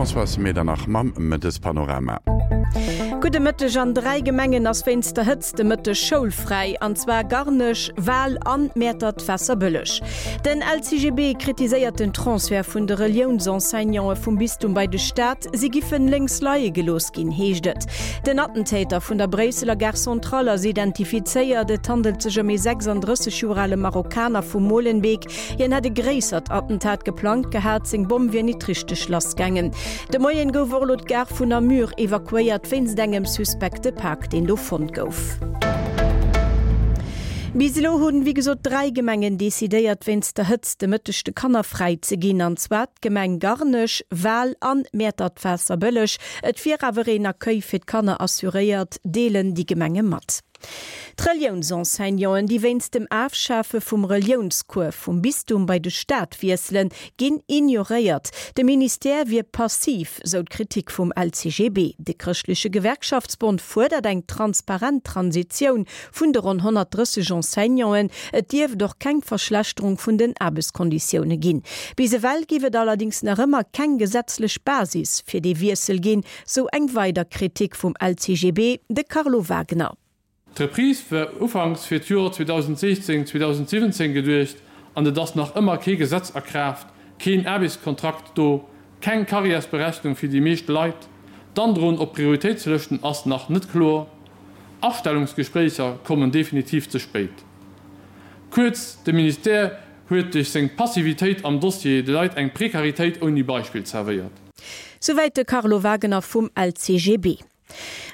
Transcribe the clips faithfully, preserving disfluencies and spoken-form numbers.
Françoise Medernach mam Mëttespanorama. Gudde Mëtteg. An dräi Gemengen ass wéinst der Hëtzt de Mëtteg schoulfräi, an zwar Garnech, Wal an Mäertert-Waasserbëlleg. Den L C G B kritiséiert den Transfert vun de Reliounsenseignanten vum Bistum bei de Staat. Si giffen lénks leie gelooss ginn, heescht et. Den Attentäter vun der Bréisseler Gare Centrale ass identifizéiert. Et handelt sech ëm ee sechsandrësseg Joer ale Marokkaner vu Molenbeek. Hien hätt e gréissert Attentat geplangt gehat, seng Bomm wier nit richteg lassgaangen. De Moien gouf och elo d'Gare vun Namur evakuéiert wéinst engem suspekte Pak, deen do fonnt gouf. Bis elo hunn, wéi gesot, dräi Gemengen decidéiert, wéinst der Hëtzt de Mëtteg de Kanner fräi ze ginn, an zwar d'Gemeng Garnech, Wal an Mäertert-Waasserbëlleg. Et wier awer een Accueil fir d'Kanner assuréiert, deelen déi Gemenge mat. D'Reliounsenseignanten, déi wéinst dem Afschafe vum Reliounscours vum Bistum bei de Staat wiesselen, ginn ignoréiert. De Ministère wier passiv, sou d'Kritik vum L C G B. De chrëschtleche Gewerkschaftsbond fuerdert eng transparent Transitioun vun de ronn honnertdrësseg Enseignanten. Et dierft och keng Verschlechterung vun den Aarbechtskonditioune ginn. Bis ewell géif et allerdéngs nach ëmmer keng gesetzlech Basis fir dee Wiessel ginn, sou eng weider Kritik vum L C G B, de Carlo Wagner. D'Reprise war ufanks fir d'Joer zweedausendsiechzéng, zweedausendsiwwenzéng geduecht an et ass nach ëmmer kee Gesetz a Kraaft, keen Aarbechtskontrakt do, keng Karriärsberechnung fir déi meescht Leit, d'Androen op Prioritéitslëschten ass nach net kloer, Astellungsgespréicher kommen definitiv ze spéit. Kuerz, de Ministère huet duerch seng Passivitéit am Dossier de Leit eng Prekaritéit ouni Beispill zerwéiert. Souwäit de Carlo Wagner vum L C G B.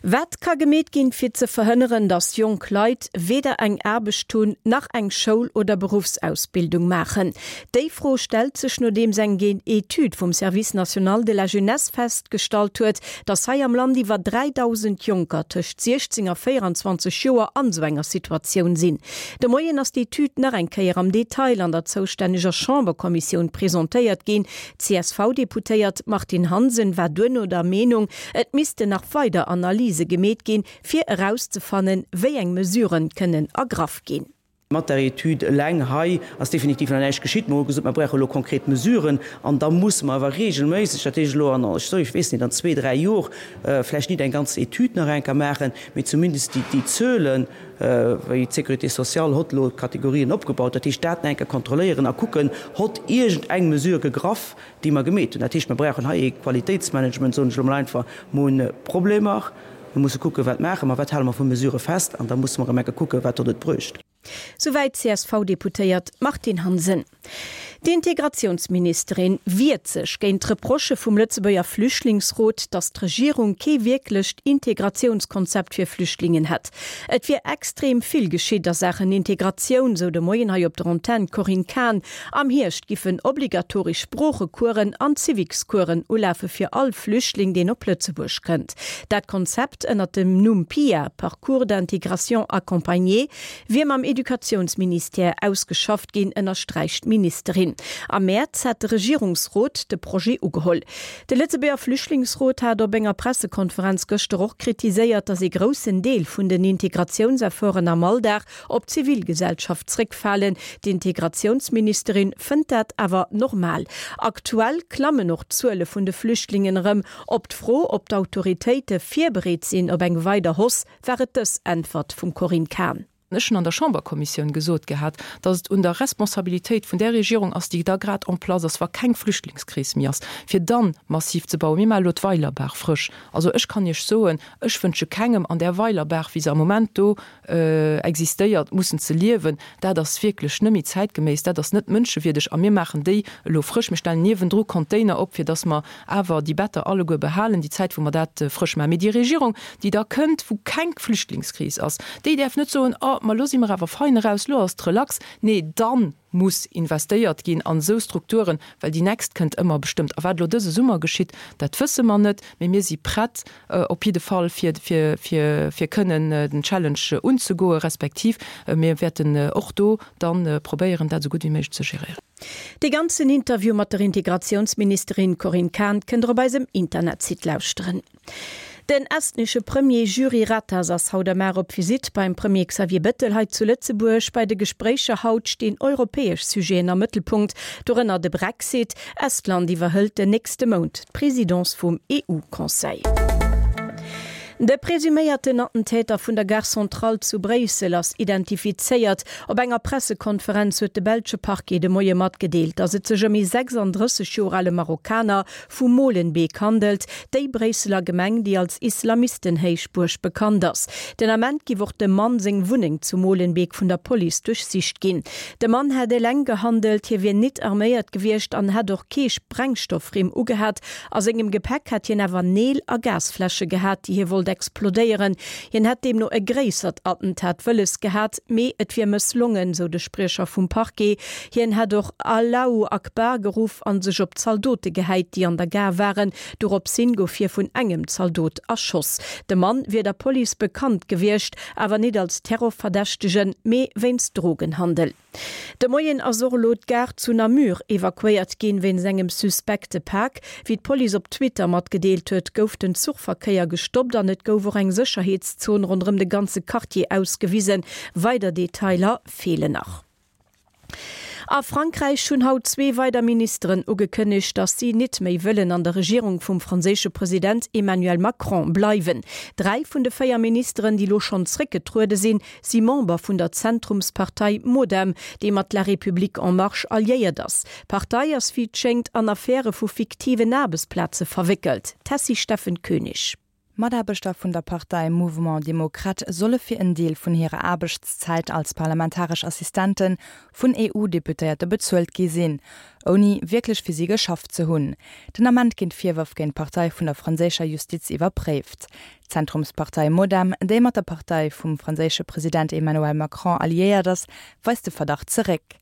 Wat ka gemeet ginn, fir ze verhënneren, datt jonk Leit weder eng Aarbecht hunn, nach eng Schoul oder Beruffsausbildung maachen? Déi Fro stellt sech, nodeems eng Etüd vum Service national de la jeunesse festgestallt huet, datt hei am Land iwwer dräidausend Jonker tëscht siechzéng a véierenzwanzeg Joer an sou enger Situatioun sinn. De Moien ass d'Etüd nach eng Kéier am Detail an der zoustänneger Chamberkommissioun presentéiert ginn. D'C S V-Deputéiert Martine Hansen war duerno der Meenung, et missten nach weider Analyse gemeet ginn, fir erauszefannen, wéi eng Mesuren kënnen ergraff ginn. Mat der Etüd eleng hei ass definitiv nach näischt geschitt. Mer hu gesot, mer brauche lo konkret Mesuren an da musse mer awer regelméisseg, dat heescht elo an, ech weess net, an zwee, dräi Jor vläicht net eng ganz Etüd nach eng Kéier maachen, mee zumindest déi, déi Zuelen, wéi d'Sécurité sociale hott elo d'Kategorien opgebaut, dat heescht dat nach eng Kéier kontrolléieren a kucken, hott iergend eng Mesure gegraff, déi mer gemeet hunn. Dat heescht, mer brauchen hei ee Qualitéitsmanagement, soen ech elo mol einfach. Mer hunn Problemer, mer musse kucken, wat maache mer, wat hale mer vu Mesurë fest an da musse mer erëm eng Kéier kucken, wat huet et bruecht. Souwäit d'C S V-Deputéiert Martine Hansen. D'Integratiounsministerin wiert sech géint d'Reprochë vum Lëtzebuerger Flüchtlingsrot, datt d'Regierung kee wierklecht Integratiounskonzept fir Flüchtlingen hätt. Et wier extrem vill geschitt a Saachen Integratioun, sou de Moien hei op der Antenn d'Corinne Cahen. Am Hierscht giffen obligatoresch Sproochecoursen an Civicscoursen ulafe fir all Flüchtling, deen op Lëtzebuerg kënnt. Dat Konzept ënner dem Numm PIA, Parcours d'intégration accompagné, wier mam Educatiounsministère ausgeschafft ginn, ënnersträicht d'Ministerin. Am Mäerz hat de Regierungsrot de Projet ugeholl. De Lëtzebuerger Flüchtlingsrot hat op enger Pressekonferenz gëschter och kritiséiert, datt ee groussen Deel vun den Integratiounsefforten am Alldag op d'Zivilgesellschaft zréckfalen. D'Integratiounsministerin fënnt dat awer normal. Aktuell klammen och d'Zuele vun de Flüchtlingen erëm. Op d'Fro, ob d'Autoritéite virbereet sinn op eng weider Hausse, war et dës Äntwert vum Corinne Cahen. Ech hunn an der Chamberkommissioun gesot gehat, datt et un der Responsabilitéit vun der Regierung ass, déi da grad en place ass, wa keng Flüchtlingskris méi ass, fir dann massiv ze bauen. Mir maache lo d'Weilerbaach frësch. Also ech kann Iech soen, ech wënsche kengem an där Weilerbaach, wéi se am Moment do existéiert, mussen ze liewen. Dat ass wierklech net méi zäitgeméiss, dat ass net mënschewierdeg a mir maachen déi elo frësch. Mir stellen niewendru Container op, fir datt mer awer déi Better alleguer behalen, déi Zäit wou mer dat frësch maachen. Mee déi Regierung, déi da kënnt, wou keng Flüchtlingskris ass, déi däerf net soen, oh, ma lo si mer awer fein eraus, lo ass et relax. Nee, dann muss investéiert ginn an esou Strukturen, well déi nächst kënnt ëmmer bestëmmt. A wat elo dëse Summer geschitt, dat wësse mer net, mee mir si prett op jidde Fall fir, fir, fir, fir kënnen den Challenge unzegoen, respektiv mir wäerten och do dann probéieren, dat esou gutt wéi méiglech ze geréieren. De ganzen Interview mat der Integratiounsministerin Corinne Cahen kënnt der op eisem Internetsite lauschteren. Den estnesche Premier Jüri Ratas ass haut am op Visitt beim Premier Xavier Bettel hei zu Lëtzebuerg. Bei de Gespréicher haut stinn europäesch Sujeten am Mëttelpunkt, dorënner de Brexit. Estland iwwerhëlt den nächste Mount d'Presidence vum EU-Conseil. De presuméierten Attentäter vun der Gare Centrale zu Bréissel ass identifizéiert. Op enger Pressekonferenz huet de belsche Parquet de Moie matgedeelt, datt et sech ëm ee sechsanddrësseg Joer ale Marokkaner vu Molenbeek handelt, déi Bréisseler Gemeng, déi als Islamistenhéichbuerg bekannt ass. Den Ament giff och dem Mann seng Wunneng zu Molenbeek vun der Police duerchsicht ginn. De Mann hätt eleng gehandelt, hie wier nit arméiert gewiescht an hätt och kee Sprengstoffrimm ugehat. A sengem Gepäck hätt hien awer Neel a Gasfläsche gehat, déi hie wollt explodéieren. Hien hätt deemno e gréissert Attentat wëlles gehat, mee et wier mësslongen, sou de Spriecher vum Parquet. Hien hätt och Allahu Akbar geruff a sech op Zaldote gehäit, déi an der Gare waren. Doropshin gouf hie vun engem Zaldot erschoss. De Mann wier der Police bekannt gewiescht, awer nit als Terrorverdächtegen, mee wéinst Drogenhandel. De Moien ass och elo d'Gare zu Namur evakuéiert ginn, wéinst engem suspekte Pak. Wéi d'Police op Twitter matgedeelt huet, gouf den Zuchverkéier gestoppt an et gouf och eng Sécherheetszon ronderëm de ganze Quartier ausgewisen. Weider Detailer feelen nach. A Frankräich hunn haut zwee weider Ministeren ugekënnegt, datt si nit méi wëllen an der Regierung vum franséische President Emmanuel Macron bleiwen. Dräi vun de véier Ministeren, déi elo schonn zréckgetruede sinn, si Member vun der Zentrumspartei MoDem, déi mat La République en Marche alliéiert ass. D'Partei ass wéi et schéngt an Affäre vu fiktiven Aarbechtsplaze verwéckelt. Tessy Steffen Koenig. Mataarbechter vun der Partei Mouvement Démocrate solle fir en Deel vun hirer Aarbechtszäit als parlamentaresch Assistente vun E U-Deputéierte bezuelt gi sinn, ouni wierklech fir si geschafft ze hunn. Den Ament ginn d'Virwërf géint d'Partei vun der franséischer Justiz iwwerpréift. D'Zentrumspartei MoDem, déi mat der Partei vum franséische President Emmanuel Macron alliéiert ass, weist de Verdacht zeréck.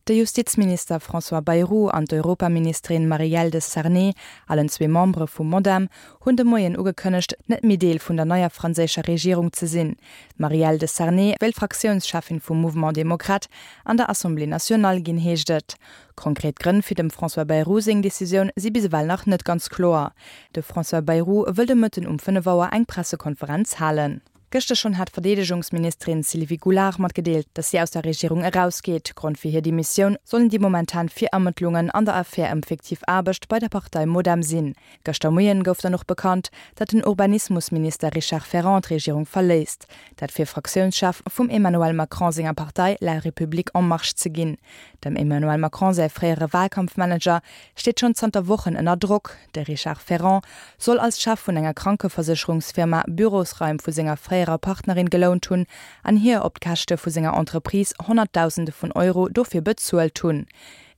De Justizminister François Bayrou an d'Europaministerin Marielle de Sarnez, allen zwee Membere vu MoDem, hunn de Moien ugekënnegt, net méi Deel vun der neier franséischer Regierung ze sinn. D'Marielle de Sarnez wéilt Fraktiounscheffin vum Mouvement Démocrate an der Assemblée nationale ginn, heescht et. Konkret Grënn fir dem François Bayrou seng Decisioun si bis ewell nach net ganz kloer. De François Bayrou wëll de Mëtten um fënnef Auer eng Pressekonferenz halen. Gëschter schonn hat d'Verdeedegungsministerin Sylvie Goulard matgedeelt, datt si aus der Regierung erausgeet. Grond fir hir Demissioun sollen déi momentan Virermëttlungen an der Affär ëm fiktiv Aarbecht bei der Partei MoDem sinn. Gëschter Moien gouf dann och bekannt, datt den Urbanismusminister Richard Ferrand d'Regierung verléisst, dat fir Fraktiounschef vum Emmanuel Macron senger Partei La République en Marche ze ginn. Dem Emmanuel Macron säi fréiere Walkampfmanager steet schonn zanter Wochen ënner Drock. De Richard Ferrand soll als Chef vun enger Krankeversécherungsfirma Bürosraim vu senger fréierer Partnerin gelount hunn an hir op d'Käschte vu senger Entreprise Honnertdausende vun Euro dofir bezuelt hunn.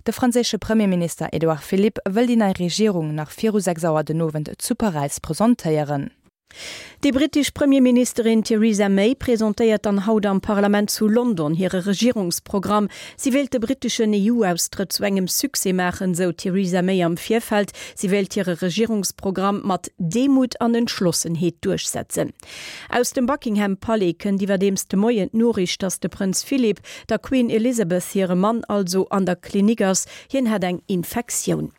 De franséische Premierminister Edouard Philippe wëll déi nei Regierung nach viru sechs Auer den Owend zu Paräis presentéieren. Déi brittesch Premierministerin Theresa May presentéiert dann haut am Parlament zu London hire Regierungsprogramm. Si wéilt de britteschen E U-Austrëtt zu engem Succès maachen, sou d'Theresa May am Virfeld. Si wéilt hire Regierungsprogramm mat Demut an Entschlossenheet duerchsetzen. Aus dem Buckingham Palais kënnt iwwerdeems de Moien d'Noriicht, datt de Prënz Philip, der Queen Elizabeth hire Mann also, an der Klinik ass. Hien hätt eng Infektioun.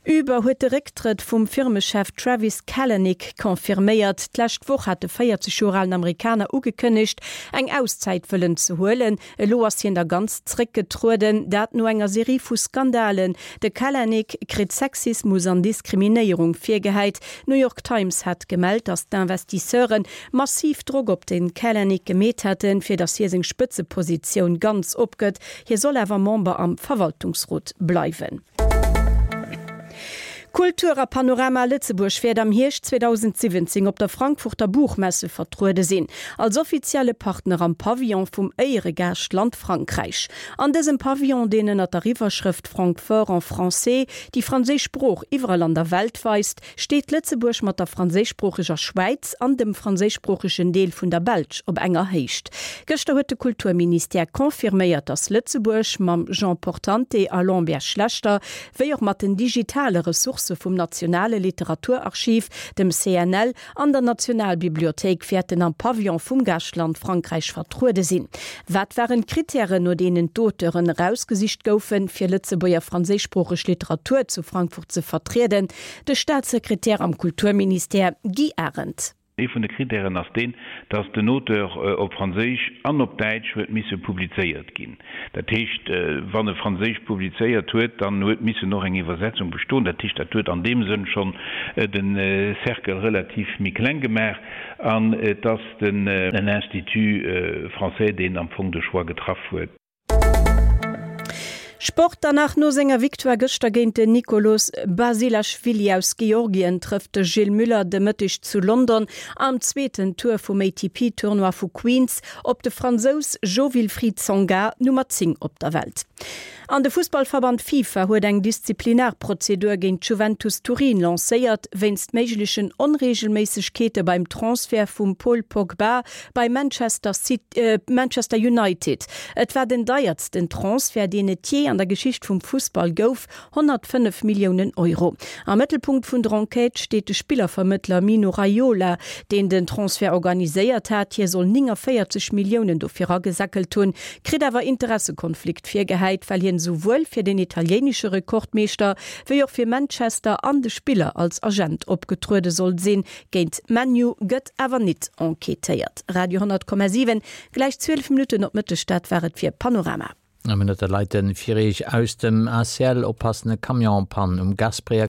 Uber huet de Récktrëtt vum Firmechef Travis Kalanick confirméiert. D'lescht Woch hat de véierzeg Joer alen Amerikaner ugekënnegt, eng Auszäit wëllen ze huelen. Elo ass hien da ganz zréckgetrueden, dat no enger Serie vu Skandalen. De Kalanick kritt Sexismus an Diskriminéierung virgehäit. D'New York Times hat gemellt, datt d'Investisseure massiv Drock op de Kalanick gemeet hätten, fir datt hie seng Spëtzepositioun ganz opgëtt. Hie soll awer Member am Verwaltungsrot bleiwen. Kultur a Panorama Lëtzebuerg wäert am Hierscht zweedausendsiwwenzéng op der Frankfurter Buchmesse vertruede sinn, als offizielle Partner am Pavillon vum Éieregaaschtland Frankräich. An dësem Pavillon, deen ënnert der Iwwerschrëft Francfort en français déi franséisch Sprooch iwwerall an der Welt weist, steet Lëtzebuerg mat der franséischsproocheger Schwäiz an dem franséischsproochegen Deel vun der Belsch op enger Héicht. Gëschter huet de Kulturministère confirméiert, datt Lëtzebuerg mam Jean Portante a Lambert Schlechter, wéi och mat den digitale Ressourcen, Ressourcë vum Nationale Literaturarchiv, dem C N L, an der Nationalbibliothéik wäerten am Pavillon vum Gaaschtland Frankräich vertruede sinn. Wat waren d'Krittären, no deenen d'Auteuren erausgesicht goufen, fir Lëtzebuerger franséischsproocheg Literatur zu Frankfurt ze vertrieden? De Staatssekretär am Kulturministère Guy Arendt. Ee vun de Krittären ass deen, datt den Auteur op Franséisch an op Däitsch huet misse publizéiert ginn. Dat heescht, wann e Franséisch publizéiert huet, dann huet missen och eng Iwwersetzung bestoen. Dat heescht, dat huet an deem Sënn schonn de Cercle relativ méi kleng gemaach. An et ass den Institut français, deen am Fong de Choix getraff huet. Sport dann nach. No senger Victoire gëschter géint den Nikoloz Basilaschwili aus Georgien trëfft de Gilles Müller de Mëtteg zu London am zweeten Tour vum A T P-Tournoi vu Queens op de Fransous Jo-Wilfried Tsonga, Nummer zéng op der Welt. An de Fussballverband FIFA huet eng Disziplinarprozedur géint Juventus Turin lancéiert, wéinst méiglechen Onreegelméissegkeete beim Transfert vum Paul Pogba bei Manchester, City, äh, Manchester United. Et war den deiersten Transfert, deen et jee an der Geschicht vum Fussball gouf, honnertfënnef Milliounen Euro. Am Mëttelpunkt vun der Enquête steet de Spillervermëttler Mino Raiola, deen den Transfert organiséiert hat. Hie soll nénganvéierzeg Milliounen dofir agesäckelt hunn, kritt awer Interessekonflikt virgehäit, well hien souwuel fir den italieenesche Rekordmeeschter wéi och fir Manchester an de Spiller als Agent opgetruede soll sinn. Géint ManU gëtt awer net enquêtéiert. Radio honnert Komma siwen, gläich zwielef Minutten op Mëtteg, dat war et fir Panorama. Minutte Leiten Firich aus dem A C L oppassende Camionspann um Gasbréier.